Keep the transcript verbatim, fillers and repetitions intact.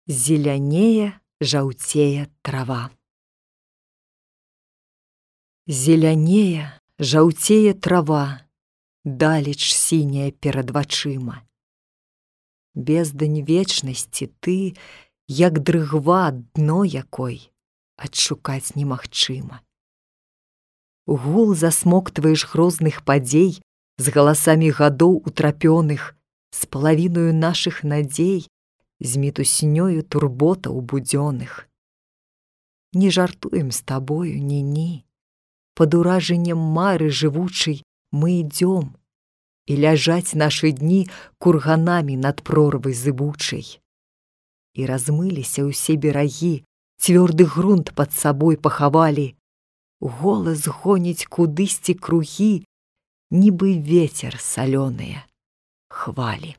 Зелянее, жаўцее трава. Зелянее, жаўцее трава, далеч сіняя перад вачыма. Бездань вечнасці ты, як дрыгва, дно якой адшукаць немагчыма. Гул засмоктваеш грозных падзей з галасамі гадоў утрапёных, з палавіною нашых надзей, з мітуснёю турботаў будзённых. Не жартуем з табою, ні-ні. Пад уражаннем мары жывучай мы ідём, і ляжаць нашы дні курганамі над прорвай зыбучай. І размыліся ўсе берагі, цвёрды грунт пад сабой пахавалі. Голас гоніць кудысьці кругі, нібы вецер салёныя хвалі.